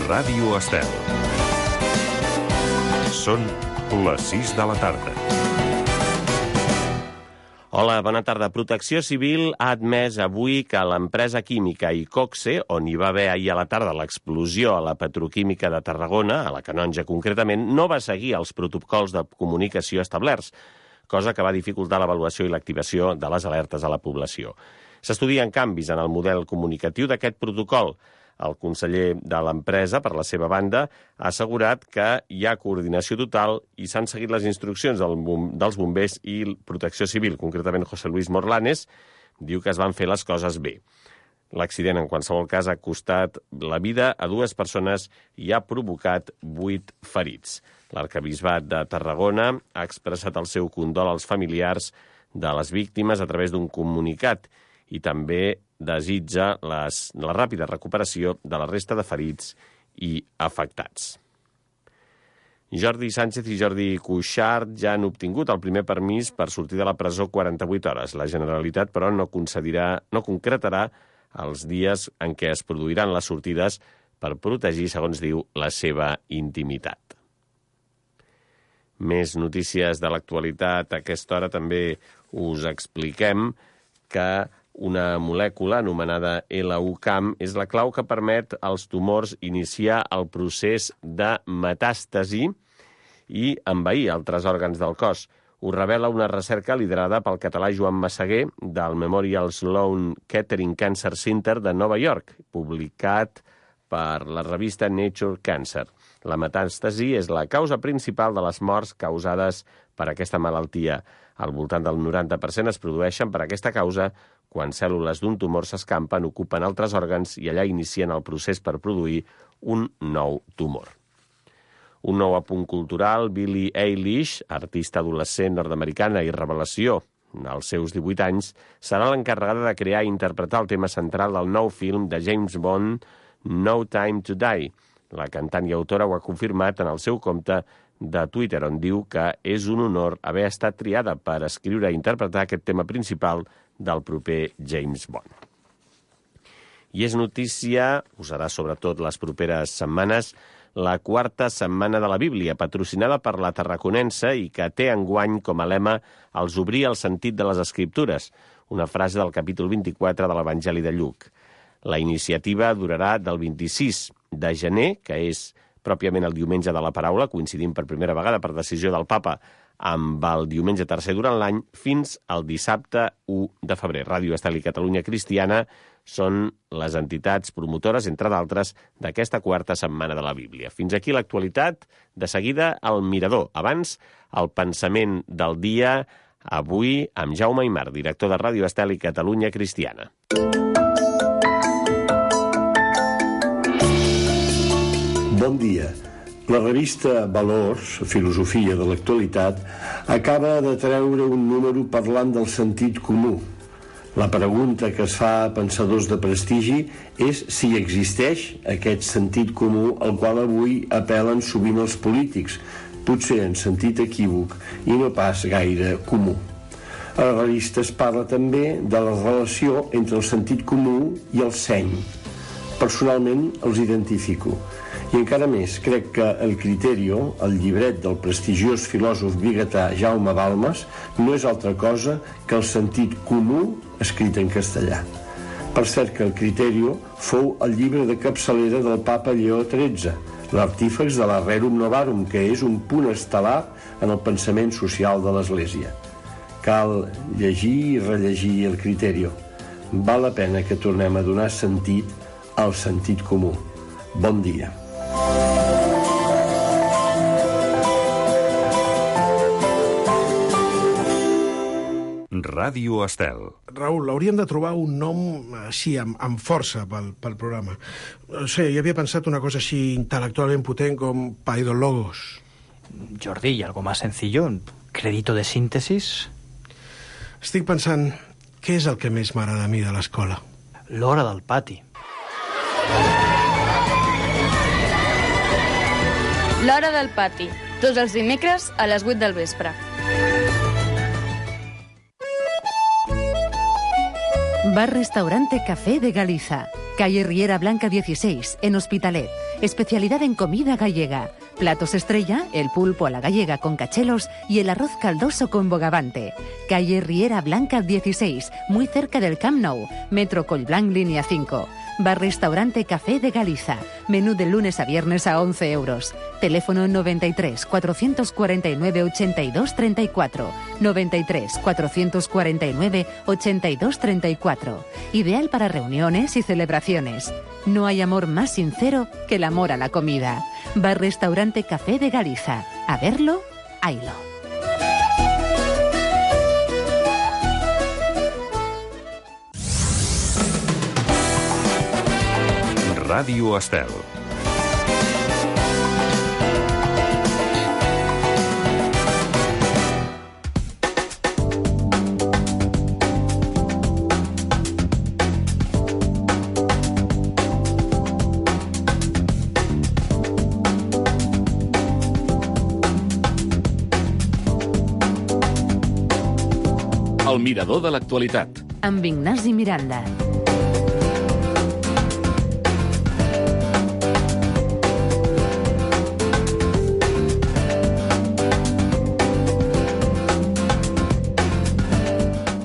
Ràdio Estel. Són les 6 de la tarda. Hola, bona tarda. Protecció Civil ha admès avui que l'empresa química Iqoxe, on hi va haver ahir a la tarda l'explosió a la petroquímica de Tarragona, a la Canonja concretament, no va seguir els protocols de comunicació establerts, cosa que va dificultar l'avaluació i l'activació de les alertes a la població. S'estudien canvis en el model comunicatiu d'aquest protocol. El conseller de l'empresa, per la seva banda, ha assegurat que hi ha coordinació total i s'han seguit les instruccions dels bombers i Protecció Civil. Concretament, José Luis Morlanes diu que es van fer les coses bé. L'accident, en qualsevol cas, ha costat la vida a 2 persones i ha provocat 8 ferits. L'Arquebisbat de Tarragona ha expressat el seu condol als familiars de les víctimes a través d'un comunicat i també desitja la ràpida recuperació de la resta de ferits i afectats. Jordi Sánchez i Jordi Cuixart ja han obtingut el primer permís per sortir de la presó 48 hores. La Generalitat, però, no concretarà els dies en què es produiran les sortides per protegir, segons diu, la seva intimitat. Més notícies de l'actualitat. A aquesta hora també us expliquem que una molècula anomenada LUCAM és la clau que permet als tumors iniciar el procés de metàstasi i envair altres òrgans del cos. Ho revela una recerca liderada pel català Joan Massaguer del Memorial Sloan Kettering Cancer Center de Nova York, publicat per la revista Nature Cancer. La metàstasi és la causa principal de les morts causades per aquesta malaltia. Al voltant del 90% es produeixen per aquesta causa quan cèl·lules d'un tumor s'escampen, ocupen altres òrgans i allà inicien el procés per produir un nou tumor. Un nou apunt cultural, Billie Eilish, artista adolescent nord-americana i revelació als seus 18 anys, serà l'encarregada de crear i interpretar el tema central del nou film de James Bond, No Time to Die. La cantant i autora ho ha confirmat en el seu compte de Twitter, on diu que és un honor haver estat triada per escriure i interpretar aquest tema principal del proper James Bond. I és notícia, ho serà sobretot les properes setmanes, la 4a Setmana de la Bíblia, patrocinada per la Tarraconense i que té enguany com a lema «Els obrir el sentit de les Escriptures», una frase del capítol 24 de l'Evangeli de Lluc. La iniciativa durarà del 26 de gener, que és pròpiament el diumenge de la paraula, coincidint per primera vegada per decisió del papa amb el diumenge tercer durant l'any, fins al dissabte 1 de febrer. Ràdio Estel i Catalunya Cristiana són les entitats promotores, entre d'altres, d'aquesta 4a Setmana de la Bíblia. Fins aquí l'actualitat. De seguida, el Mirador. Abans, el pensament del dia, avui amb Jaume Aymar, director de Ràdio Estel i Catalunya Cristiana. Bon dia. La revista Valors, Filosofia de l'actualitat, acaba de treure un número parlant del sentit comú. La pregunta que es fa a pensadors de prestigi és si existeix aquest sentit comú al qual avui apel·len sovint els polítics, potser en sentit equívoc i no pas gaire comú. A la revista es parla també de la relació entre el sentit comú i el seny. Personalment els identifico. I encara més, crec que el Criterio, el llibret del prestigiós filòsof biguetà Jaume Balmes, no és altra cosa que el sentit comú escrit en castellà. Per cert que el Criterio fou el llibre de capçalera del papa Lleó XIII, l'artífex de la Rerum Novarum, que és un punt estel·lar en el pensament social de l'Església. Cal llegir i rellegir el Criterio. Val la pena que tornem a donar sentit al sentit comú. Bon dia. Ràdio Estel. Raül, hauríem de trobar un nom així, amb força pel programa. No sé, jo havia pensat una cosa així intel·lectualment potent com Paidologos. Jordi, ¿y algo más sencillo? ¿Crédito de síntesis? Estic pensant, què és el que més m'agrada a mi de l'escola? L'hora del pati. L'hora del pati, tots els dimecres a les 8 del vespre. Bar Restaurante Café de Galiza. Calle Riera Blanca 16, en Hospitalet. Especialidad en comida gallega. Platos estrella, el pulpo a la gallega con cachelos y el arroz caldoso con bogavante. Calle Riera Blanca 16, muy cerca del Camp Nou. Metro Collblanc, línea 5. Bar-restaurante Café de Galiza. Menú de lunes a viernes a 11 euros. Teléfono 93 449 82 34. 93 449 82 34. Ideal para reuniones y celebraciones. No hay amor más sincero que el amor a la comida. Bar-restaurante Café de Galiza. A verlo, haylo. Ràdio Estel. El mirador de l'actualitat. Amb Ignasi Miranda.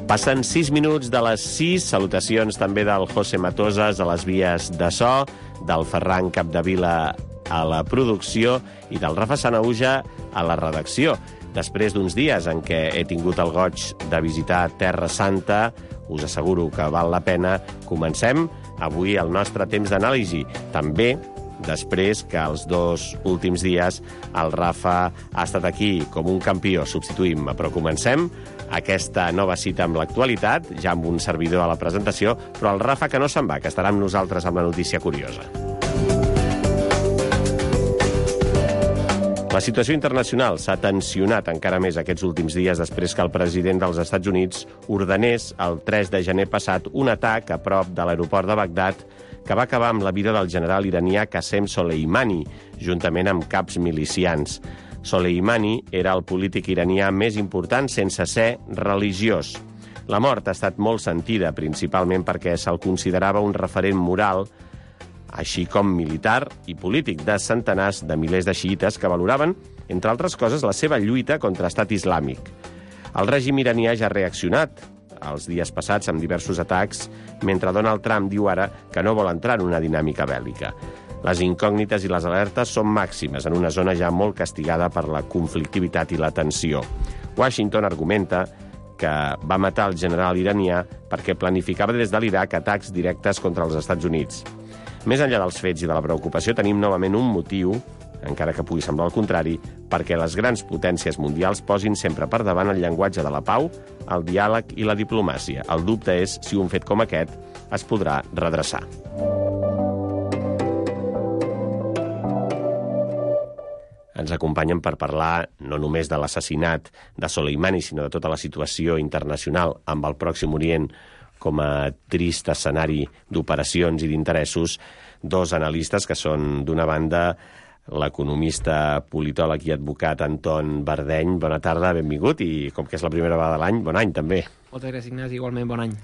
Passen 6 minuts de les 6. Salutacions també del José Matosas a les vies de so, del Ferran Capdevila a la producció i del Rafa Sanauja a la redacció. Després d'uns dies en què he tingut el goig de visitar Terra Santa, us asseguro que val la pena. Comencem avui el nostre temps d'anàlisi. També després que els 2 últims dies el Rafa ha estat aquí com un campió substituint-me. Però comencem aquesta nova cita amb l'actualitat, ja amb un servidor a la presentació, però el Rafa que no se'n va, que estarà amb nosaltres amb la notícia curiosa. La situació internacional s'ha tensionat encara més aquests últims dies després que el president dels Estats Units ordenés el 3 de gener passat un atac a prop de l'aeroport de Bagdad que va acabar amb la vida del general iranià Qasem Soleimani, juntament amb caps milicians. Soleimani era el polític iranià més important sense ser religiós. La mort ha estat molt sentida, principalment perquè se'l considerava un referent moral, així com militar i polític, de centenars de milers de xiïtes que valoraven, entre altres coses, la seva lluita contra Estat Islàmic. El règim iranià ja ha reaccionat els dies passats amb diversos atacs, mentre Donald Trump diu ara que no vol entrar en una dinàmica bèl·lica. Les incògnites i les alertes són màximes en una zona ja molt castigada per la conflictivitat i la tensió. Washington argumenta que va matar el general iranià perquè planificava des de l'Iraq atacs directes contra els Estats Units. Més enllà dels fets i de la preocupació, tenim novament un motiu, encara que pugui semblar el contrari, perquè les grans potències mundials posin sempre per davant el llenguatge de la pau, el diàleg i la diplomàcia. El dubte és si un fet com aquest es podrà redreçar. Ens acompanyen per parlar no només de l'assassinat de Soleimani, sinó de tota la situació internacional amb el Pròxim Orient com a trist escenari d'operacions i d'interessos, 2 analistes que són, d'una banda, l'economista, politòleg i advocat Anton Bardeny. Bona tarda, benvingut, i com que és la primera vegada de l'any, bon any també. Moltes gràcies, Ignasi, igualment bon any.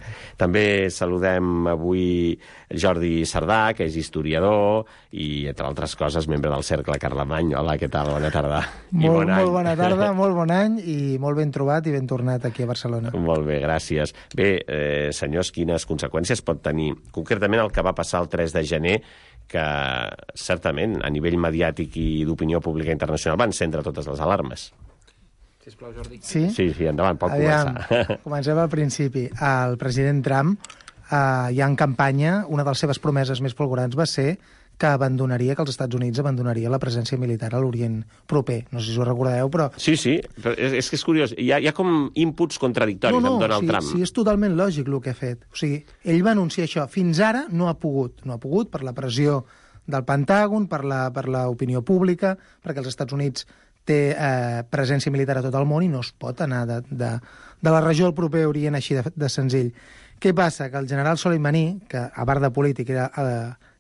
També saludem avui Jordi Sardà, que és historiador i, entre altres coses, membre del Cercle Carlemany. Hola, què tal? Bona tarda. Molt bona tarda, molt bon any i molt ben trobat i ben tornat aquí a Barcelona. Molt bé, gràcies. Bé, senyors, quines conseqüències pot tenir concretament el que va passar el 3 de gener, que certament a nivell mediàtic i d'opinió pública internacional van encendre totes les alarmes? Sisplau, Jordi. Sí? Sí, endavant, pot començar. Comencem al principi. El president Trump, ja en campanya, una de les seves promeses més fulgurants va ser que els Estats Units abandonaria la presència militar a l'Orient proper. No sé si ho recordeu, però... Sí, però és que és curiós. Hi ha com inputs contradictoris amb Donald Trump. Sí, és totalment lògic el que ha fet. O sigui, ell va anunciar això. Fins ara no ha pogut. No ha pogut per la pressió del Pentàgon, per l'opinió pública, perquè els Estats Units té presència militar a tot el món i no es pot anar de la regió al proper Orient així de senzill. Què passa? Que el general Soleimani, que a part de polític era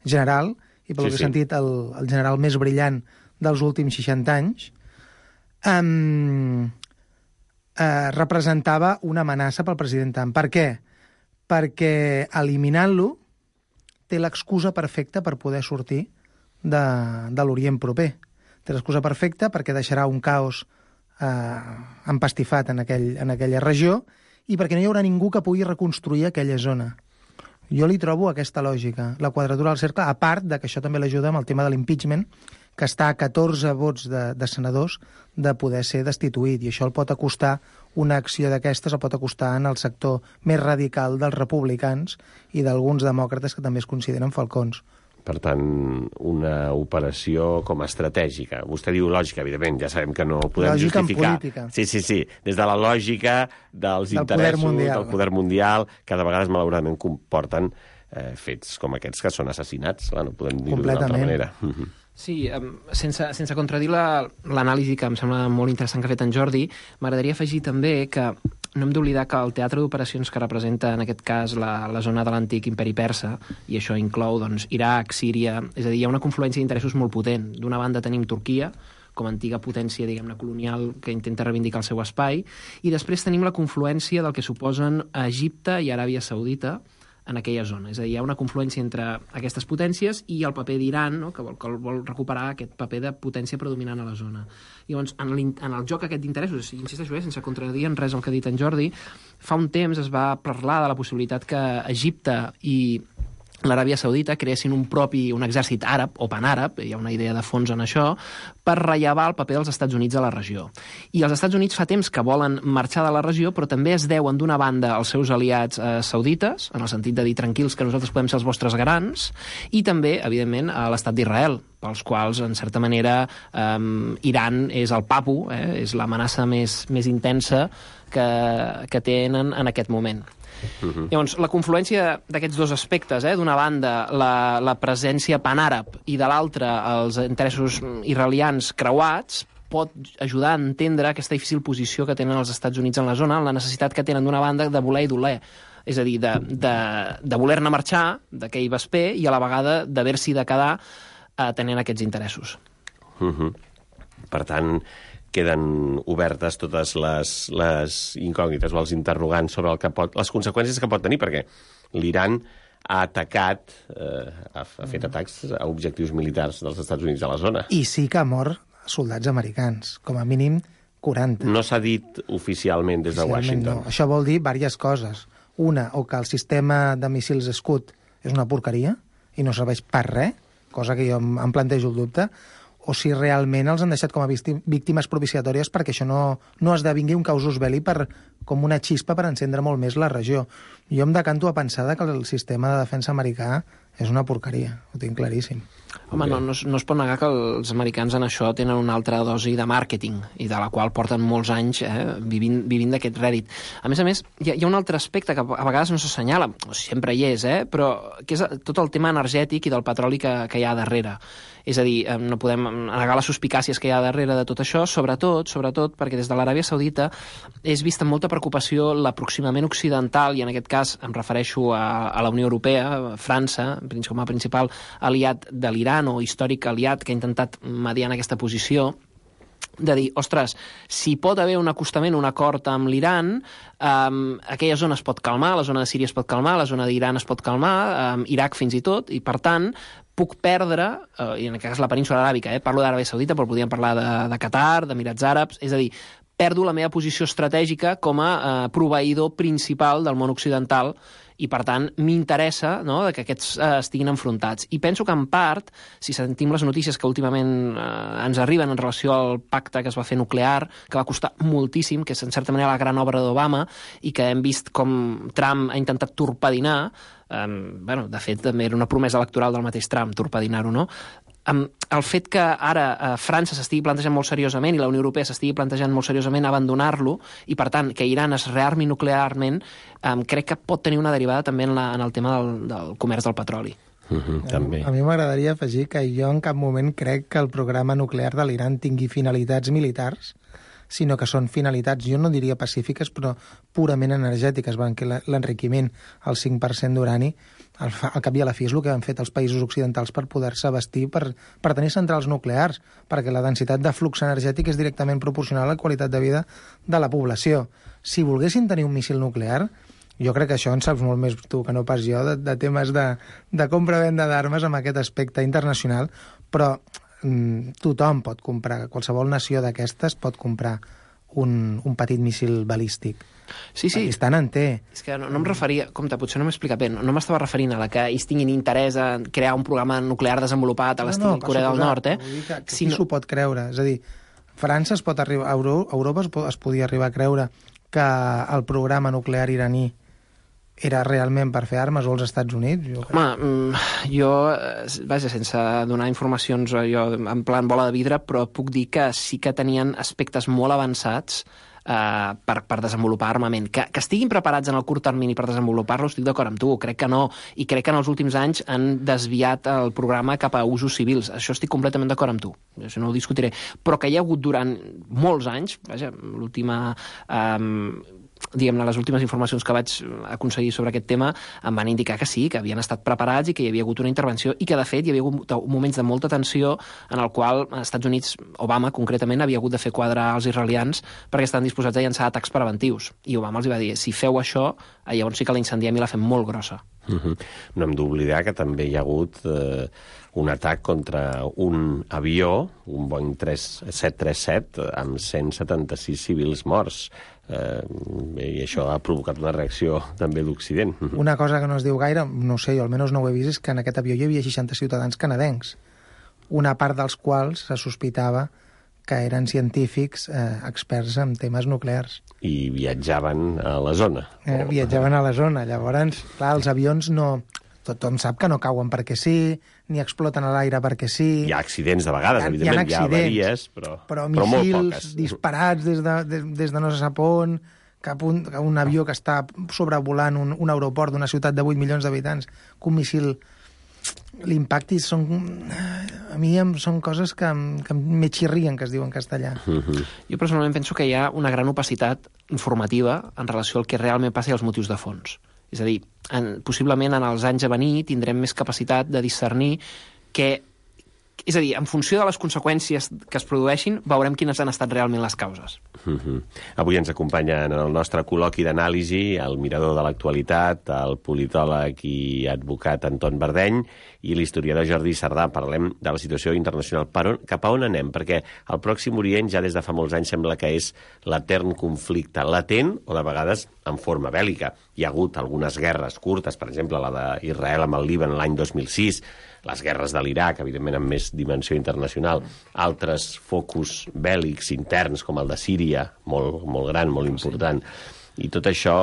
general, i pel que he sentit el general més brillant dels últims 60 anys, representava una amenaça pel president Trump. Per què? Perquè eliminant-lo té l'excusa perfecta per poder sortir de l'Orient proper. Té l'excusa perfecta perquè deixarà un caos empastifat en aquella regió i perquè no hi haurà ningú que pugui reconstruir aquella zona. Jo li trobo aquesta lògica, la quadratura del cercle, a part de que això també l'ajuda amb el tema de l'impeachment, que està a 14 vots de senadors de poder ser destituït, i això el pot acostar, una acció d'aquestes el pot acostar en el sector més radical dels republicans i d'alguns demòcrates que també es consideren falcons. Per tant, una operació com a estratègica. Vostè diu lògica, evidentment, ja sabem que no podem lògica justificar. En política. Sí. Des de la lògica dels interessos del poder mundial, que de vegades, malauradament, comporten fets com aquests que són assassinats. Clar, no podem dir-ho d'una altra manera. Sí, sense contradir l'anàlisi que em sembla molt interessant que ha fet en Jordi, m'agradaria afegir també que no hem d'oblidar que el teatre d'operacions que representa, en aquest cas, la zona de l'antic imperi persa, i això inclou doncs, Iraq, Síria, és a dir, hi ha una confluència d'interessos molt potent. D'una banda tenim Turquia, com a antiga potència, diguem-ne, colonial, que intenta reivindicar el seu espai, i després tenim la confluència del que suposen Egipte i Aràbia Saudita en aquella zona. És a dir, hi ha una confluència entre aquestes potències i el paper d'Iran, no? que vol recuperar aquest paper de potència predominant a la zona. Llavors, en el joc aquest d'interessos, insisteixo, sense contradir en res el que ha dit en Jordi, fa un temps es va parlar de la possibilitat que Egipte i l'Aràbia Saudita creessin un exèrcit àrab o panàrab, hi ha una idea de fons en això, per rellevar el paper dels Estats Units a la regió. I els Estats Units fa temps que volen marxar de la regió, però també es deuen d'una banda als seus aliats saudites, en el sentit de dir tranquils que nosaltres podem ser els vostres garants, i també, evidentment, a l'estat d'Israel, pels quals, en certa manera, Iran és el papu, és l'amenaça més intensa que tenen en aquest moment. Llavors, la confluència d'aquests dos aspectes, d'una banda la presència panàrab i de l'altra els interessos israelians creuats, pot ajudar a entendre aquesta difícil posició que tenen els Estats Units en la zona, la necessitat que tenen d'una banda de voler i doler, és a dir, de voler-ne marxar, de que hi vas bé, i a la vegada d'haver-s'hi de quedar tenint aquests interessos. Per tant, queden obertes totes les incògnites o els interrogants sobre les conseqüències que pot tenir, perquè l'Iran ha atacat, ha fet atacs a objectius militars dels Estats Units a la zona. I sí que ha mort soldats americans, com a mínim 40. No s'ha dit oficialment des de Washington. No. Això vol dir diverses coses. Una, o que el sistema de míssils Scud és una porqueria i no serveix per res, cosa que jo em plantejo el dubte, o si realment els han deixat com a víctimes propiciatòries perquè això no esdevingui un casus belli com una xispa per encendre molt més la regió. Jo em decanto a pensar que el sistema de defensa americà és una porqueria, ho tinc claríssim. Home, no es pot negar que els americans en això tenen una altra dosi de màrqueting i de la qual porten molts anys vivint d'aquest rèdit. A més, hi ha un altre aspecte que a vegades no s'assenyala, sempre hi és, però que és tot el tema energètic i del petroli que hi ha darrere. És a dir, no podem negar les suspicàcies que hi ha darrere de tot això, sobretot perquè des de l'Aràbia Saudita és vista amb molta preocupació l'aproximament occidental, i en aquest cas em refereixo a la Unió Europea, França, com a principal aliat de l'Iran o històric aliat que ha intentat mediar en aquesta posició, de dir, ostres, si pot haver un acostament, un acord amb l'Iran, aquella zona es pot calmar, la zona de Síria es pot calmar, la zona d'Iran es pot calmar, Iraq fins i tot, i per tant puc perdre, i en aquest cas la península aràbica, parlo d'Aràbia Saudita, però podríem parlar de Qatar, d'Emirats Àrabs, és a dir, perdo la meva posició estratègica com a proveïdor principal del món occidental i, per tant, m'interessa que aquests estiguin enfrontats. I penso que, en part, si sentim les notícies que últimament ens arriben en relació al pacte que es va fer nuclear, que va costar moltíssim, que és, en certa manera, la gran obra d'Obama, i que hem vist com Trump ha intentat torpedinar, de fet, també era una promesa electoral del mateix Trump, torpedinar-ho, no? El fet que ara França s'estigui plantejant molt seriosament i la Unió Europea s'estigui plantejant molt seriosament abandonar-lo i, per tant, que Iran es rearmi nuclearment, crec que pot tenir una derivada també en el tema del comerç del petroli. També. A mi m'agradaria afegir que jo en cap moment crec que el programa nuclear de l'Iran tingui finalitats militars, sinó que són finalitats, jo no diria pacífiques, però purament energètiques, que l'enriquiment al 5% d'urani, al cap i a la fi és el que han fet els països occidentals per poder-se vestir, per tenir centrals nuclears, perquè la densitat de flux energètic és directament proporcional a la qualitat de vida de la població. Si volguessin tenir un míssil nuclear, Jo crec que això en saps molt més tu que no pas jo, de temes de compra-venda d'armes amb aquest aspecte internacional, però tothom pot comprar, qualsevol nació d'aquestes pot comprar un petit míssil balístic. Sí. Pakistan en té. És que no em referia... Compte, potser no m'he explicat bé. No m'estava referint a la que ells tinguin interès en crear un programa nuclear desenvolupat a l'estil Corea del Nord, Vull dir que qui s'ho pot creure? És a dir, França es pot arribar... Europa es podia arribar a creure que el programa nuclear iraní era realment per fer armes, o els Estats Units? Jo, vaja, sense donar informacions jo en plan bola de vidre, però puc dir que sí que tenien aspectes molt avançats per desenvolupar armament. Que estiguin preparats en el curt termini per desenvolupar-lo, estic d'acord amb tu, crec que no, i crec que en els últims anys han desviat el programa cap a usos civils. Això estic completament d'acord amb tu, això no ho discutiré, però que hi ha hagut durant molts anys, vaja, diguem-ne, les últimes informacions que vaig aconseguir sobre aquest tema em van indicar que sí, que havien estat preparats i que hi havia hagut una intervenció i que, de fet, hi havia hagut moments de molta tensió en el qual els Estats Units, Obama concretament, havia hagut de fer quadrar els israelians perquè estan disposats a llançar atacs preventius. I Obama els va dir, si feu això, llavors sí que la incendiem i la fem molt grossa. No hem d'oblidar que també hi ha hagut un atac contra un avió, un Boeing 737, amb 176 civils morts. I això ha provocat una reacció també d'Occident. Una cosa que no es diu gaire, no sé, jo almenys no ho he vist, és que en aquest avió hi havia 60 ciutadans canadencs, una part dels quals se sospitava que eren científics experts en temes nuclears. I viatjaven a la zona. Viatjaven a la zona. Llavors, clar, els avions no... Tothom sap que no cauen perquè sí, ni exploten a l'aire perquè sí. Hi ha accidents de vegades, evidentment, hi ha avaries, però molt poques. Disparats des de no se sap on, cap un avió que està sobrevolant un aeroport d'una ciutat de 8 milions d'habitants, que un missil l'impacti a mi són coses que me xirrien, que es diu en castellà. Jo personalment penso que hi ha una gran opacitat informativa en relació al que realment passa i als motius de fons. És a dir, possiblement en els anys a venir tindrem més capacitat de discernir que... És a dir, en funció de les conseqüències que es produeixin, veurem quines han estat realment les causes. Avui ens acompanya en el nostre col·loqui d'anàlisi el mirador de l'actualitat, el politòleg i advocat Anton Bardeny i l'historiador Jordi Sardà. Parlem de la situació internacional. Cap a on anem? Perquè el Pròxim Orient ja des de fa molts anys sembla que és l'etern conflicte, latent o de vegades en forma bèl·lica. Hi ha hagut algunes guerres curtes, per exemple, la d'Israel amb el Líban l'any 2006, les guerres de l'Iraq, evidentment amb més dimensió internacional, altres focus bèl·lics interns, com el de Síria, molt gran, molt important. I tot això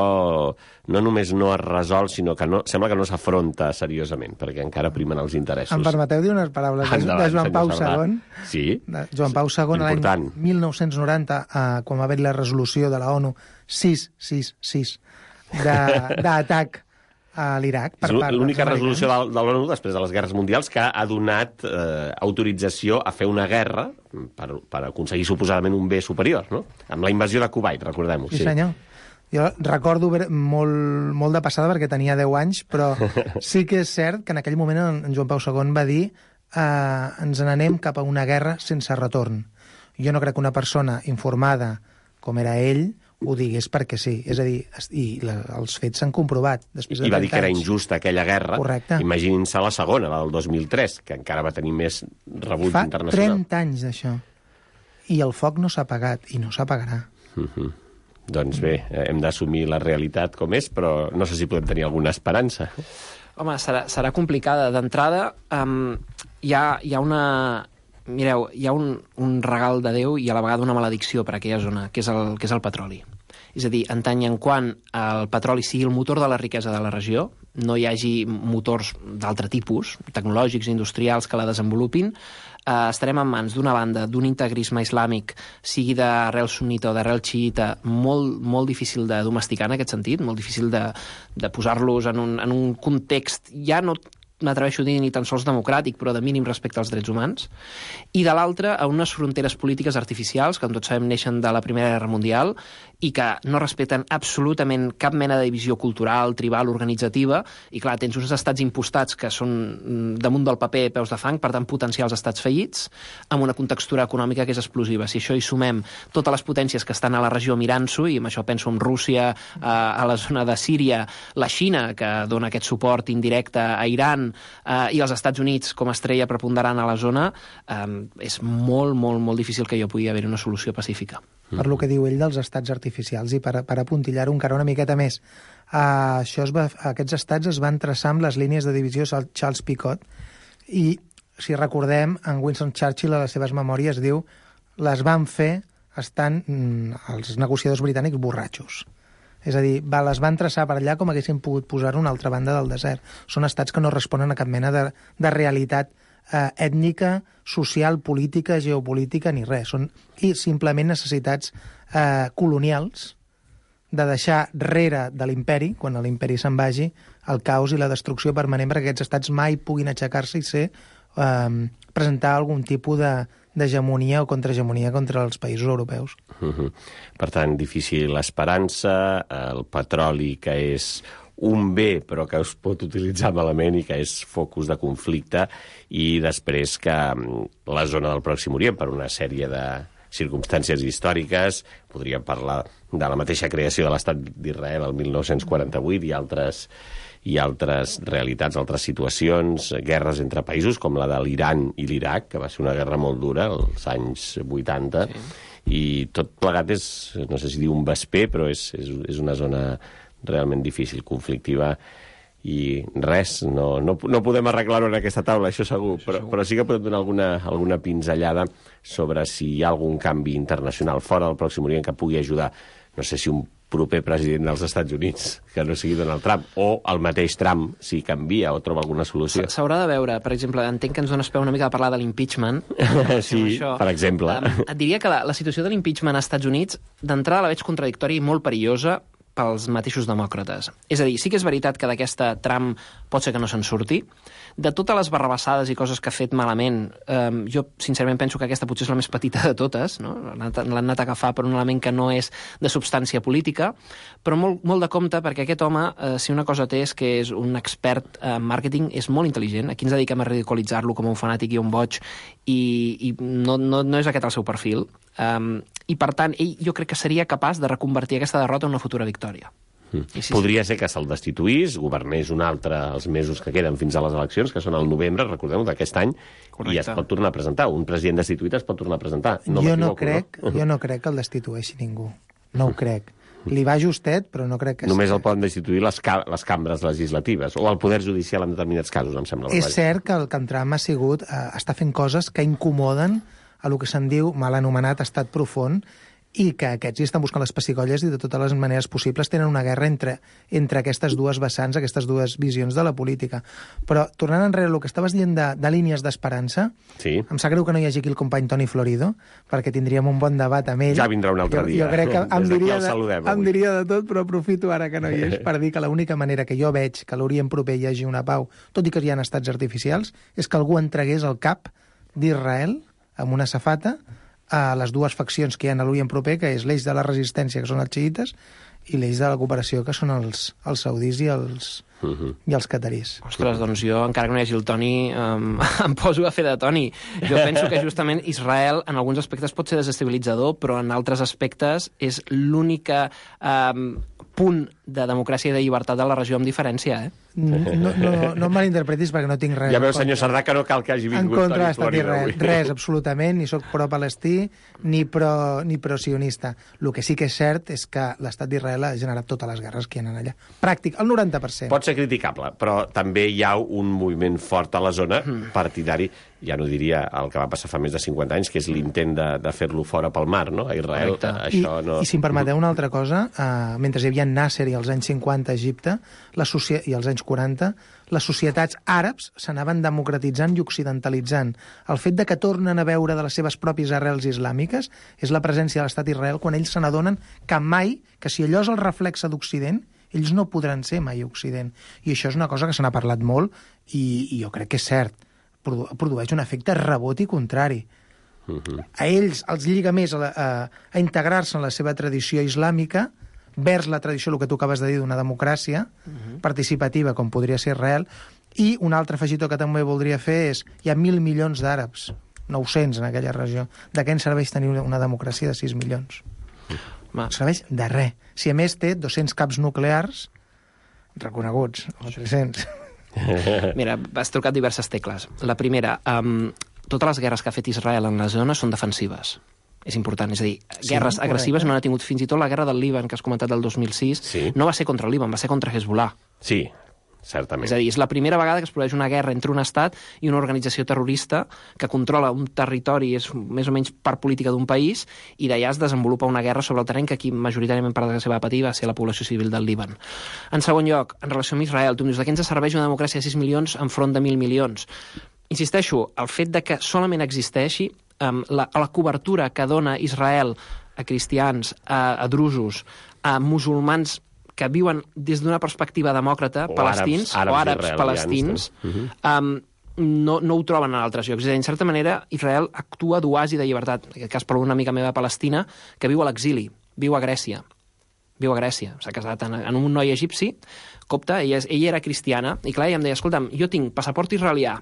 no només no es resol, sinó que sembla que no s'afronta seriosament, perquè encara primen els interessos. Em permeteu dir unes paraules de Joan Pau II? Sí. Joan Pau II, l'any 1990, quan va haver la resolució de la ONU 666 d'atac a l'Iraq. És l'única resolució de l'ONU després de les guerres mundials que ha donat autorització a fer una guerra per aconseguir suposadament un bé superior, no? Amb la invasió de Kuwait, recordem-ho. Sí, senyor. Jo recordo molt de passada perquè tenia 10 anys, però sí que és cert que en aquell moment en Joan Pau II va dir ens n'anem cap a una guerra sense retorn. Jo no crec que una persona informada com era ell ho digués perquè sí. És a dir, els fets s'han comprovat. I va dir que era injusta aquella guerra. Correcte. Imaginin-se la segona, la del 2003, que encara va tenir més rebuig internacional. Fa 30 anys d'això. I el foc no s'ha apagat, i no s'apagarà. Doncs bé, hem d'assumir la realitat com és, però no sé si podem tenir alguna esperança. Home, serà complicada. D'entrada, hi ha una... Mireu, hi ha un regal de Déu i a la vegada una maledicció per a aquella zona, que és el petroli. És a dir, en tant i en quant el petroli sigui el motor de la riquesa de la regió, no hi hagi motors d'altre tipus, tecnològics, industrials, que la desenvolupin, estarem en mans d'una banda, d'un integrisme islàmic, sigui d'arrel sunnita o d'arrel xiita, molt difícil de domesticar en aquest sentit, molt difícil de posar-los en un context ja no m'atreveixo a dir ni tan sols democràtic, però de mínim respecte als drets humans, i de l'altra a unes fronteres polítiques artificials, que tots sabem neixen de la Primera Guerra Mundial, i que no respecten absolutament cap mena de divisió cultural, tribal, organitzativa, i clar, tens uns estats impostats que són damunt del paper peus de fang, per tant potencials estats fallits, amb una contextura econòmica que és explosiva. Si això hi sumem totes les potències que estan a la regió mirant-s'ho, i amb això penso en Rússia, a la zona de Síria, la Xina, que dona aquest suport indirecte a Iran, i els Estats Units com a estrella preponderant a la zona, és molt, molt, molt difícil que hi pugui haver una solució pacífica. Per lo que diu ell dels estats artificials, i per apuntillar-ho encara una miqueta més. Aquests estats es van traçar amb les línies de divisió Charles Picot, i si recordem, en Winston Churchill a les seves memòries diu les van fer estant els negociadors britànics borratxos. És a dir, les van traçar per allà com haguessin pogut posar a una altra banda del desert. Són estats que no responen a cap mena de realitat ètnica, social, política, geopolítica, ni res. Són simplement necessitats colonials de deixar rere de l'imperi, quan l'imperi se'n vagi, el caos i la destrucció permanent perquè aquests estats mai puguin aixecar-se i presentar algun tipus d'hegemonia o contrahegemonia contra els països europeus. Per tant, difícil l'esperança, el petroli que és un bé però que es pot utilitzar malament i que és focus de conflicte, i després que la zona del Pròxim Orient, per una sèrie de circumstàncies històriques, podríem parlar de la mateixa creació de l'Estat d'Israel el 1948 i altres realitats, altres situacions, guerres entre països com la de l'Iran i l'Iraq, que va ser una guerra molt dura als anys 80, i tot plegat és, no sé si dir un vesper, però és una zona realment difícil, conflictiva, i res, no podem arreglar-ho en aquesta taula, això segur, però sí que podem donar alguna pinzellada sobre si hi ha algun canvi internacional fora del Pròxim Orient que pugui ajudar, no sé si un proper president dels Estats Units, que no sigui Donald Trump, o el mateix Trump, si canvia o troba alguna solució. S'haurà de veure, per exemple, entenc que ens dones peu una mica de parlar de l'impeachment. Sí, per exemple. Et diria que la situació de l'impeachment als Estats Units, d'entrada la veig contradictòria i molt perillosa pels mateixos demòcrates. És a dir, sí que és veritat que d'aquesta Trump pot ser que no se'n surti. De totes les barrabassades i coses que ha fet malament, jo sincerament penso que aquesta potser és la més petita de totes, no? L'han anat a agafar per un element que no és de substància política, però molt de compte, perquè aquest home, si una cosa té és que és un expert en màrqueting, és molt intel·ligent. Aquí ens dediquem a ridiculitzar-lo com un fanàtic i un boig, i no és aquest el seu perfil. I per tant, ell jo crec que seria capaç de reconvertir aquesta derrota en una futura victòria. Podria ser que se'l destituís, governés un altre els mesos que queden fins a les eleccions, que són al novembre, recordeu, d'aquest any, i es pot tornar a presentar. Un president destituït es pot tornar a presentar. Jo no crec que el destitueixi ningú. No ho crec. Li va justet, però no crec que... Només el poden destituir les cambres legislatives, o el Poder Judicial en determinats casos, em sembla. És cert que el Trump està fent coses que incomoden a lo que se'n diu, mal anomenat, estat profund, i que aquests hi estan buscant les pessigolles i de totes les maneres possibles tenen una guerra entre aquestes dues vessants, aquestes dues visions de la política. Però, tornant enrere el que estaves dient de línies d'esperança, sí. Em sap greu que no hi hagi aquí el company Toni Florido, perquè tindríem un bon debat amb ell. Ja vindrà un altre dia. Jo crec que em diria de tot, però aprofito ara que no hi és per dir que l'única manera que jo veig que a l'Orient proper hi hagi una pau, tot i que hi ha estats artificials, és que algú entregués el cap d'Israel amb una safata a les dues faccions que hi ha a l'Orient proper, que és l'eix de la resistència, que són els xiïtes, i l'eix de la cooperació, que són els saudis i els catarís. Ostres, doncs jo, encara que no hi hagi el Toni, em poso a fer de Toni. Jo penso que justament Israel en alguns aspectes pot ser desestabilitzador, però en altres aspectes és l'única punt de democràcia i de llibertat de la regió amb diferència, No em malinterpretis perquè no tinc res. Ja veu, senyor Cerdà, que no cal que hagi vingut en contra de l'estat d'Israel. Res, absolutament, ni soc pro-palestí ni pro-sionista. El que sí que és cert és que l'estat d'Israel ha generat totes les guerres que hi ha allà. Pràctic, el 90%. Pot ser criticable, però també hi ha un moviment fort a la zona partidari, ja no diria el que va passar fa més de 50 anys, que és l'intent de fer-lo fora pel mar, no? A Israel, això no... I si em permeteu una altra cosa, mentre hi havia Nasser i als anys 50 a Egipte, i als anys 40, les societats àrabs s'anaven democratitzant i occidentalitzant. El fet de que tornen a veure de les seves pròpies arrels islàmiques és la presència de l'estat d'Israel quan ells se n'adonen que mai, que si allò és el reflexe d'Occident, Ells no podran ser mai Occident. I això és una cosa que se n'ha parlat molt i jo crec que és cert. Produeix un efecte rebot i contrari. A ells els lliga més a integrar-se en la seva tradició islàmica vers la tradició, el que tu acabes de dir, d'una democràcia participativa, com podria ser Israel. I un altre afegitó que també voldria fer és hi ha 1.000 milions d'àrabs, 900 en aquella regió. De què ens serveix tenir una democràcia de 6 milions? No serveix de res. Si a més té 200 caps nuclears reconeguts, o 300. Mira, has trucat diverses tecles. La primera, totes les guerres que ha fet Israel en la zona són defensives. És important, és a dir, guerres agressives no n'ha tingut. Fins i tot la guerra del Líban, que has comentat del 2006, no va ser contra el Líban, va ser contra Hezbollah. Sí, certament. És a dir, és la primera vegada que es produeix una guerra entre un estat i una organització terrorista que controla un territori, és més o menys part política d'un país, i d'allà es desenvolupa una guerra sobre el terreny que aquí majoritàriament per la seva patir va ser la població civil del Líban. En segon lloc, en relació amb Israel, tu em dius, de què ens serveix una democràcia de 6 milions enfront de 1.000 milions? Insisteixo, el fet de que solament existeixi la cobertura que dona Israel a cristians, a drusos, a musulmans que viuen des d'una perspectiva demòcrata, palestins, o àrabs palestins, no ho troben en altres llocs. En certa manera, Israel actua d'oasi de llibertat. En aquest cas, per una amiga meva palestina, que viu a l'exili, viu a Grècia. S'ha casat amb un noi egipci, copte, ella era cristiana, i clar, ella em deia, escolta'm, jo tinc passaport israelià,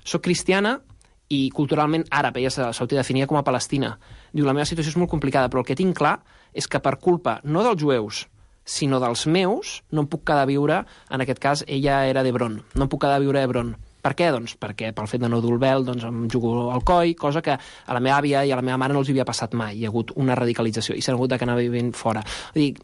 soc cristiana i culturalment àrab, ella s'autodefinia com a palestina. Diu, la meva situació és molt complicada, però el que tinc clar és que per culpa, no dels jueus, sinó dels meus, no em puc quedar a viure, en aquest cas, ella era d'Hebron, no em puc quedar a viure a Hebron. Per què? Doncs perquè pel fet de no dur el vel em jugo al coll, cosa que a la meva àvia i a la meva mare no els havia passat mai. Hi ha hagut una radicalització i s'han hagut d'anar vivint fora. I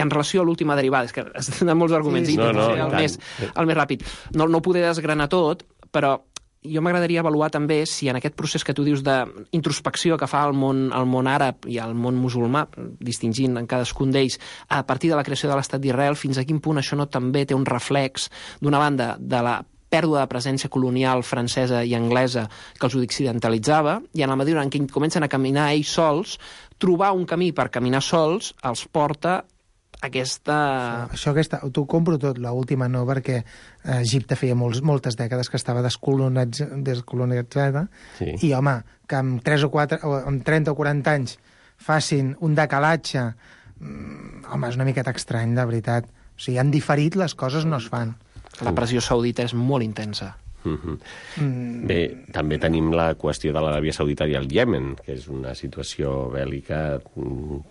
en relació a l'última derivada, és que has donat molts arguments, el més ràpid. No ho poder desgranar tot, però jo m'agradaria avaluar també si en aquest procés que tu dius d'introspecció que fa el món àrab i el món musulmà, distingint en cadascun d'ells, a partir de la creació de l'Estat d'Israel, fins a quin punt això no també té un reflex, d'una banda, de la pèrdua de presència colonial francesa i anglesa que els occidentalitzava, i en la mesura en què comencen a caminar ells sols, trobar un camí per caminar sols els porta aquesta... T'ho compro tot, l'última no, perquè Egipte feia moltes dècades que estava descolonitzada, i, home, que amb 3 o 4, o amb 30 o 40 anys facin un decalatge, home, és una miqueta estrany, de veritat. O sigui, han diferit, les coses no es fan. La pressió saudita és molt intensa. Bé, també tenim la qüestió de l'Aràbia Saudita i el Iemen, que és una situació bèl·lica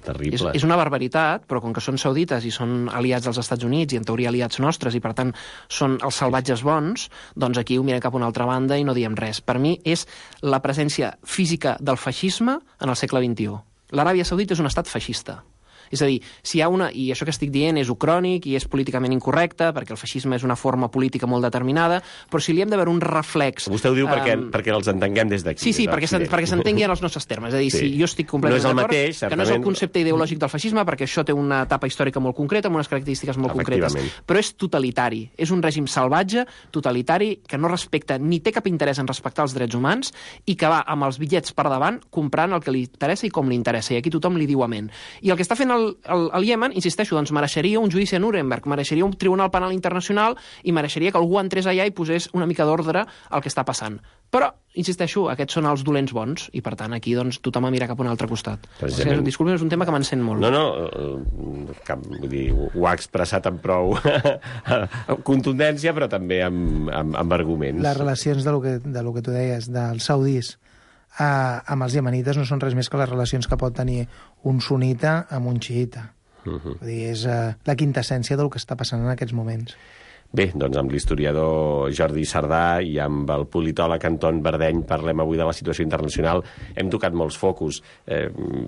terrible. És una barbaritat, però com que són saudites i són aliats dels Estats Units i en teoria aliats nostres i per tant són els salvatges bons, doncs aquí ho mirem cap a una altra banda i no diem res. Per mi és la presència física del feixisme en el segle XXI. L'Aràbia Saudita és un estat feixista. És a dir, si hi ha una... I això que estic dient és ucrònic i és políticament incorrecte, perquè el feixisme és una forma política molt determinada, però si li hem de veure un reflex... Vostè ho diu perquè els entenguem des d'aquí. Sí, perquè s'entengui en els nostres termes. És a dir, si jo estic completament d'acord que no és el concepte ideològic del feixisme, perquè això té una etapa històrica molt concreta, amb unes característiques molt concretes, però és totalitari. És un règim salvatge, totalitari, que no respecta ni té cap interès en respectar els drets humans i que va amb els bitllets per davant comprant el que li interessa i com li interessa. I aquí tothom li diu amén. I el que està fent el Iemen, insisteixo, doncs mereixeria un judici a Nuremberg, mereixeria un tribunal penal internacional i mereixeria que algú entrés allà i posés una mica d'ordre al que està passant. Però, insisteixo, aquests són els dolents bons i, per tant, aquí doncs, tothom a mirar cap a un altre costat. Disculpi, és un tema que m'encén molt. Vull dir, ho ha expressat amb prou contundència, però també amb arguments. Les relacions de lo que tu deies, dels saudis amb els iemenites no són res més que les relacions que pot tenir un sunita amb un xiita. Vull dir, és la quintessència del que està passant en aquests moments. Bé, doncs amb l'historiador Jordi Sardà i amb el politòleg Anton Verdeny parlem avui de la situació internacional. Hem tocat molts focus.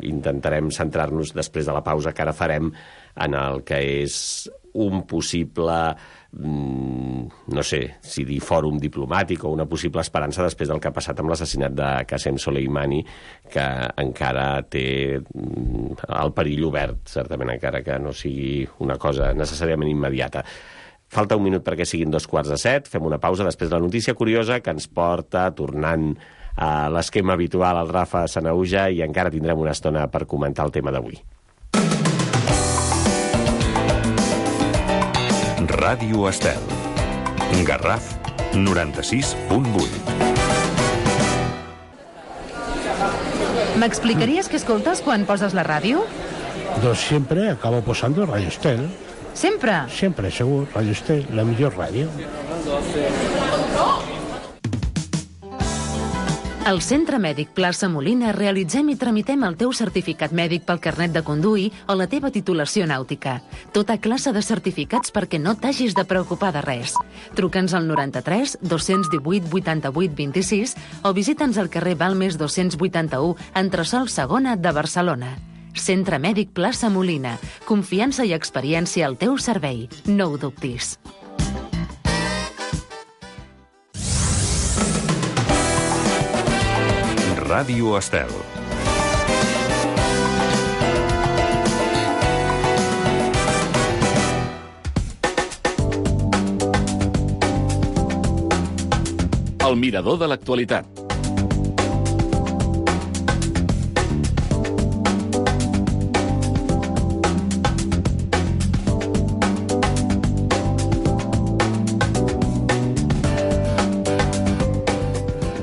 Intentarem centrar-nos després de la pausa que ara farem en el que és un possible, no sé si dir fòrum diplomàtic o una possible esperança després del que ha passat amb l'assassinat de Qasem Soleimani, que encara té el perill obert, certament, encara que no sigui una cosa necessàriament immediata. Falta un minut perquè siguin 6:45, fem una pausa després de la notícia curiosa que ens porta, tornant a l'esquema habitual, al Rafa Sanahuja, i encara tindrem una estona per comentar el tema d'avui. Ràdio Estel. Garraf 96.8. ¿M'explicaries què escoltes quan poses la ràdio? Doncs sempre acabo posando Radio Estel. Sempre? Sempre, segur. Radio Estel, la millor ràdio. Al Centre Mèdic Plaça Molina realitzem i tramitem el teu certificat mèdic pel carnet de conduir o la teva titulació nàutica. Tota classe de certificats perquè no t'hagis de preocupar de res. Truca'ns al 93 218 88 26 o visita'ns al carrer Balmes 281, entresòl segona de Barcelona. Centre Mèdic Plaça Molina. Confiança i experiència al teu servei. No ho dubtis. Ràdio Estel. El mirador de l'actualitat.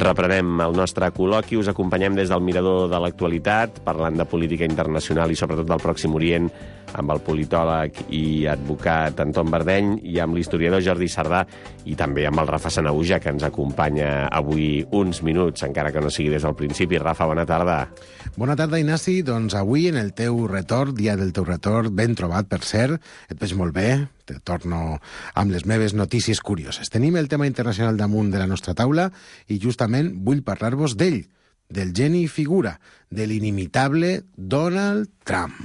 Reprenem el nostre col·loqui, us acompanyem des del mirador de l'actualitat, parlant de política internacional i sobretot del Pròxim Orient, amb el politòleg i advocat Anton Verdeny i amb l'historiador Jordi Sardà i també amb el Rafa Sanahuja, que ens acompanya avui uns minuts, encara que no sigui des del principi. Rafa, bona tarda. Bona tarda, Ignasi. Doncs avui, en el teu retorn, dia del teu retorn, ben trobat, per cert, et veig molt bé, te torno amb les meves notícies curioses. Tenim el tema internacional damunt de la nostra taula i justament vull parlar-vos d'ell, del geni figura, de l'inimitable Donald Trump.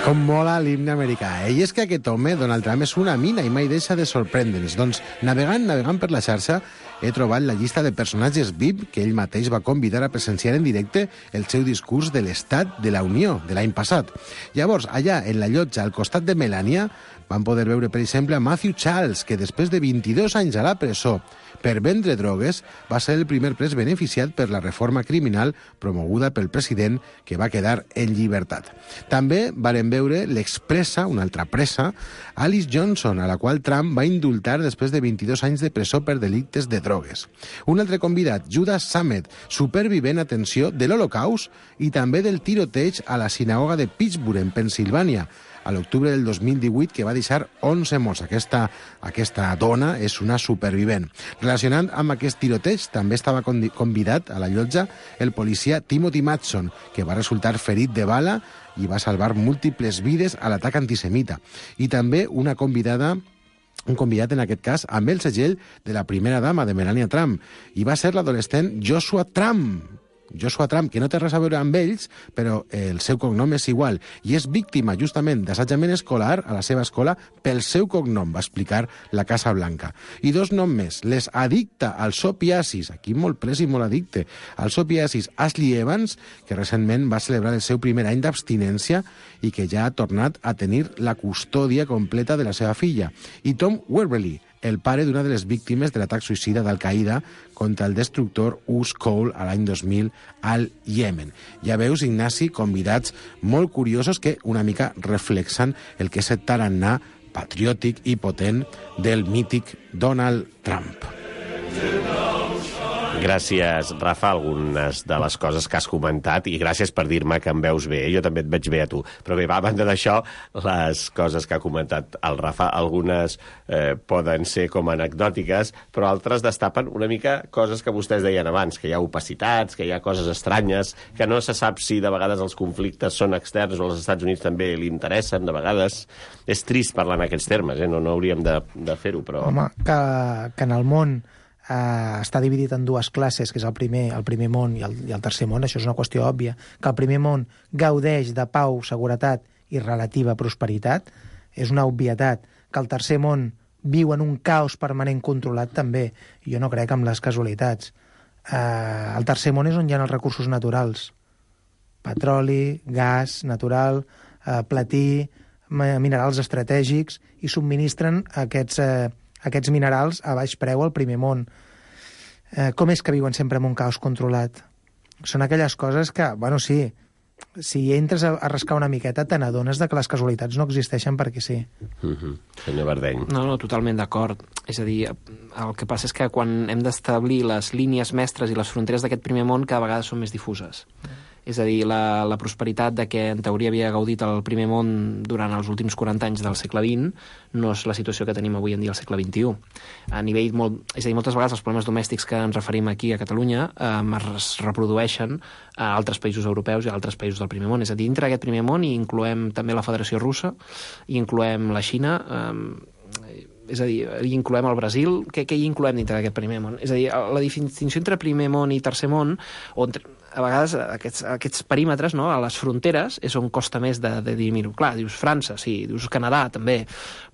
Com mola l'himne americà, eh? I és que aquest home, Donald Trump, és una mina i mai deixa de sorprendre'ns. Doncs, navegant per la xarxa, he trobat la llista de personatges VIP que ell mateix va convidar a presenciar en directe el seu discurs de l'Estat de la Unió de l'any passat. Llavors, allà, en la llotja, al costat de Melania, van poder veure, per exemple, a Matthew Charles, que després de 22 anys a la presó per vendre drogues, va ser el primer pres beneficiat per la reforma criminal promoguda pel president, que va quedar en llibertat. També varen veure l'expressa, una altra pressa, Alice Johnson, a la qual Trump va indultar després de 22 anys de presó per delictes de drogues. Un altre convidat, Judas Samet, supervivent, atenció, de l'Holocaust i també del tiroteig a la sinagoga de Pittsburgh, en Pensilvània, a l'octubre del 2018, que va deixar 11 morts. Aquesta dona és una supervivent. Relacionant amb aquest tiroteig, també estava convidat a la llotja el policia Timothy Matson, que va resultar ferit de bala i va salvar múltiples vides a l'atac antisemita. I també un convidat, en aquest cas, amb el segell de la primera dama de Melania Trump, i va ser l'adolescent Joshua Trump, que no té res a veure amb ells, però el seu cognom és igual, i és víctima justament d'assetjament escolar a la seva escola pel seu cognom, va explicar la Casa Blanca. I dos noms més, les addicta als opiacis, aquí molt pres i molt addicte, als opiacis, Ashley Evans, que recentment va celebrar el seu primer any d'abstinència i que ja ha tornat a tenir la custòdia completa de la seva filla, i Tom Werberly, el pare d'una de les víctimes de l'atac suïcida d'Al-Qaeda contra el destructor Us Cole a l'any 2000 al Iemen. Ja veus, Ignasi, convidats molt curiosos que una mica reflexen el que és el tarannà patriòtic i potent del mític Donald Trump. Gràcies, Rafa, algunes de les coses que has comentat, i gràcies per dir-me que em veus bé. Jo també et veig bé a tu. Però bé, a banda d'això, les coses que ha comentat el Rafa, algunes poden ser com anecdòtiques, però altres destapen una mica coses que vostès deien abans, que hi ha opacitats, que hi ha coses estranyes, que no se sap si de vegades els conflictes són externs o als Estats Units també li interessen, de vegades. És trist parlar en aquests termes, no hauríem de fer-ho, però... Home, que en el món està dividit en dues classes, que és el primer món i el tercer món, això és una qüestió òbvia, que el primer món gaudeix de pau, seguretat i relativa prosperitat, és una obvietat. Que el tercer món viu en un caos permanent controlat, també. Jo no crec en les casualitats. El tercer món és on hi ha els recursos naturals. Petroli, gas natural, platí, minerals estratègics, i subministren aquests minerals a baix preu al primer món. Com és que viuen sempre en un caos controlat? Són aquelles coses que, bueno, sí, si entres a rascar una miqueta te n'adones de que les casualitats no existeixen perquè sí. Senyor Bardeny. No, totalment d'acord. És a dir, el que passa és que quan hem d'establir les línies mestres i les fronteres d'aquest primer món cada vegada són més difuses. És a dir, la prosperitat de què en teoria havia gaudit el primer món durant els últims 40 anys del segle XX no és la situació que tenim avui en dia al segle XXI. A nivell és a dir, moltes vegades els problemes domèstics que ens referim aquí a Catalunya es reprodueixen a altres països europeus i a altres països del primer món. És a dir, dintre d'aquest primer món hi incloem també la Federació Russa, hi incloem la Xina, és a dir, hi incloem el Brasil. Què hi incloem dintre d'aquest primer món? És a dir, la distinció entre primer món i tercer món, o a vegades aquests perímetres, no, a les fronteres, és on costa més de dirimir-ho. Clar, dius França, sí, dius Canadà, també,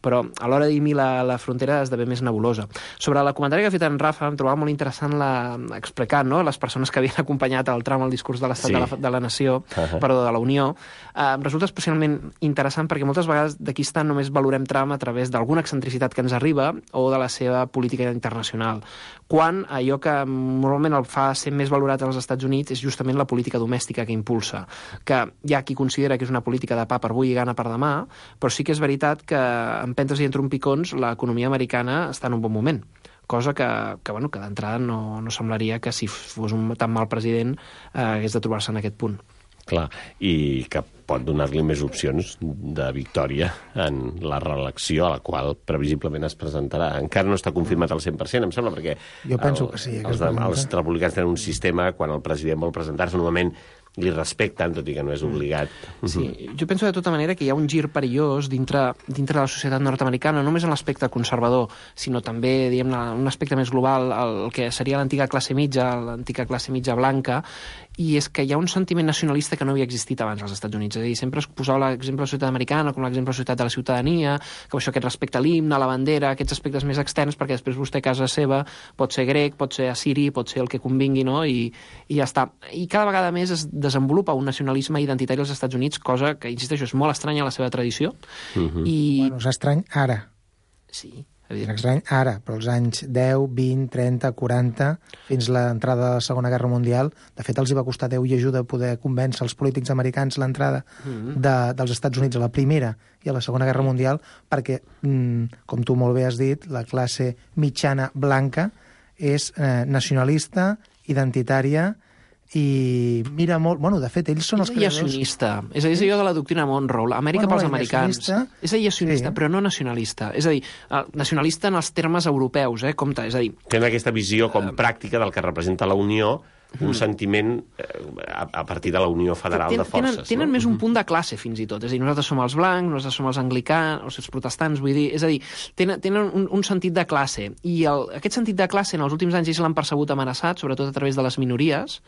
però a l'hora de dirimir la frontera esdevé més nebulosa. Sobre la comentari que ha fet en Rafa, em trobava molt interessant explicar, no?, les persones que havien acompanyat el tram al discurs de l'Estat de la Nació, perdó, de la Unió. Em resulta especialment interessant perquè moltes vegades d'aquí està només valorem Trump a través d'alguna excentricitat que ens arriba o de la seva política internacional, quan allò que normalment el fa ser més valorat als Estats Units és justament la política domèstica que impulsa, que hi ha qui considera que és una política de pa per avui i gana per demà, però sí que és veritat que en empentes i en trompicons l'economia americana està en un bon moment, cosa que d'entrada no semblaria que si fos un tan mal president hagués de trobar-se en aquest punt. Clar, i que pot donar-li més opcions de victòria en la reelecció a la qual previsiblement es presentarà. Encara no està confirmat al 100%, em sembla, perquè jo penso que sí, els republicans tenen un sistema, quan el president vol presentar-se, normalment li respecten, tot i que no és obligat. Sí, jo penso de tota manera que hi ha un gir perillós dintre de la societat nord-americana, no només en l'aspecte conservador, sinó també, diguem-ne, un aspecte més global, el que seria l'antiga classe mitja blanca, i és que hi ha un sentiment nacionalista que no havia existit abans als Estats Units. És a dir, sempre es posava l'exemple de la societat americana com l'exemple de la societat de la ciutadania, que això, aquest respecte a l'himne, a la bandera, aquests aspectes més externs, perquè després vostè a casa seva pot ser grec, pot ser assiri, pot ser el que convingui, no? I ja està. I cada vegada més es desenvolupa un nacionalisme identitari als Estats Units, cosa que, insisteixo, és molt estranya a la seva tradició. Bueno, és estrany ara. Sí. És estrany ara, però els anys 10, 20, 30, 40, fins l'entrada de la Segona Guerra Mundial, de fet els hi va costar Déu i ajuda poder convèncer els polítics americans l'entrada dels Estats Units a la Primera i a la Segona Guerra Mundial, perquè, com tu molt bé has dit, la classe mitjana blanca és nacionalista, identitària, i mira molt... Bueno, de fet, ells són els creadors... És allò de la doctrina Monroe, Amèrica pels americans. És aïllacionista, però no nacionalista. És a dir, nacionalista en els termes europeus, compte, és a dir... Tenen aquesta visió com pràctica del que representa la Unió, un sentiment a partir de la Unió Federal de Forces. Tenen més un punt de classe, fins i tot. És a dir, nosaltres som els blancs, nosaltres som els anglicans, els protestants, vull dir... És a dir, tenen un sentit de classe. I aquest sentit de classe en els últims anys ells l'han percebut amenaçat, sobretot a través de les minories,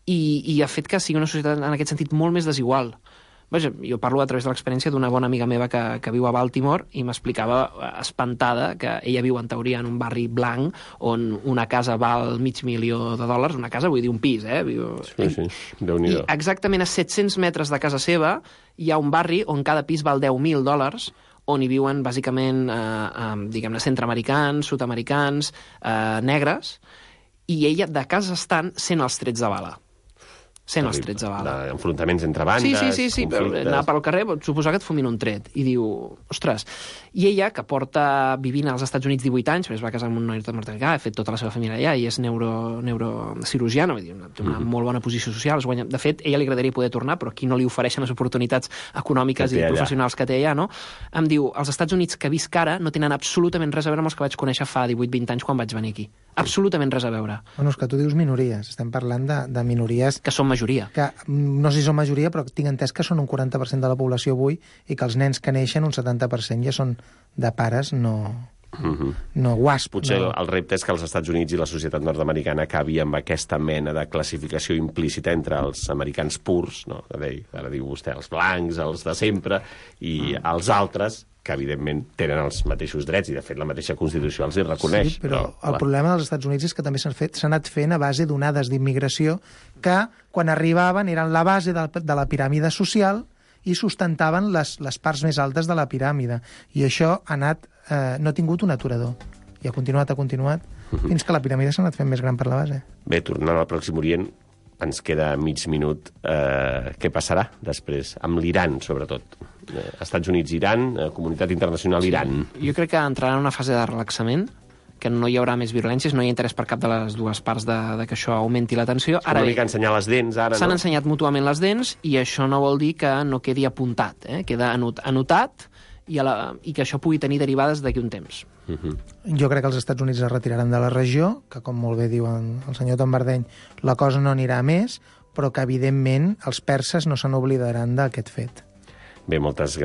i ha fet que sigui una societat en aquest sentit molt més desigual. Vaja, jo parlo a través de l'experiència d'una bona amiga meva que viu a Baltimore i m'explicava espantada que ella viu en teoria en un barri blanc on una casa val $500,000, una casa, vull dir un pis, Sí, Déu-n'hi-do. I exactament a 700 metres de casa seva hi ha un barri on cada pis val $10,000, on hi viuen bàsicament, diguem-ne, centreamericans, sud-americans, negres, i ella de casa estant sent els trets de bala. Els trets de bala. Enfrontaments entre bandes, sí, anar pel carrer pot suposar que et fumin un tret. I diu, ostres... I ella, que porta vivint als Estats Units 18 anys, es va casar amb un noi nord-americà, ha fet tota la seva família allà, i és neurocirurgiana, té una molt bona posició social. De fet, a ella li agradaria poder tornar, però aquí no li ofereixen les oportunitats econòmiques i professionals que té allà, no? Em diu, els Estats Units que visc ara no tenen absolutament res a veure amb els que vaig conèixer fa 18-20 anys quan vaig venir aquí. Absolutament res a veure. Bueno, és que tu dius minories. Estem parlant de minories... Que són majoria. Que no sé si són majoria, però tinc entès que són un 40% de la població avui i que els nens que neixen, un 70% ja són de pares no guasp. Potser el repte és que els Estats Units i la societat nord-americana acabi amb aquesta mena de classificació implícita entre els americans purs, no? Ara diu vostè, els blancs, els de sempre, i els altres, que evidentment tenen els mateixos drets, i de fet la mateixa Constitució els hi reconeix. Sí, però el problema dels Estats Units és que també s'ha anat fent a base d'onades d'immigració que, quan arribaven, eren la base de la piràmide social i sustentaven les parts més altes de la piràmide. I això no ha tingut un aturador. I ha continuat, fins que la piràmide s'ha anat fent més gran per la base. Bé, tornant al Pròxim Orient, ens queda mig minut. Què passarà després? Amb l'Iran, sobretot. Estats Units, Iran, comunitat internacional, Iran. Jo crec que entrarà en una fase de relaxament, que no hi haurà més violències, no hi ha interès per cap de les dues parts de que això augmenti la tensió. Ara bé, ensenyar les dents, ara, s'han ensenyat mútuament les dents i això no vol dir que no quedi apuntat, queda anotat i que això pugui tenir derivades d'aquí un temps. Jo crec que els Estats Units es retiraran de la regió, que com molt bé diu el senyor Tambardeny, la cosa no anirà a més, però que evidentment els perses no se n'oblidaran d'aquest fet. Bé, moltes gràcies.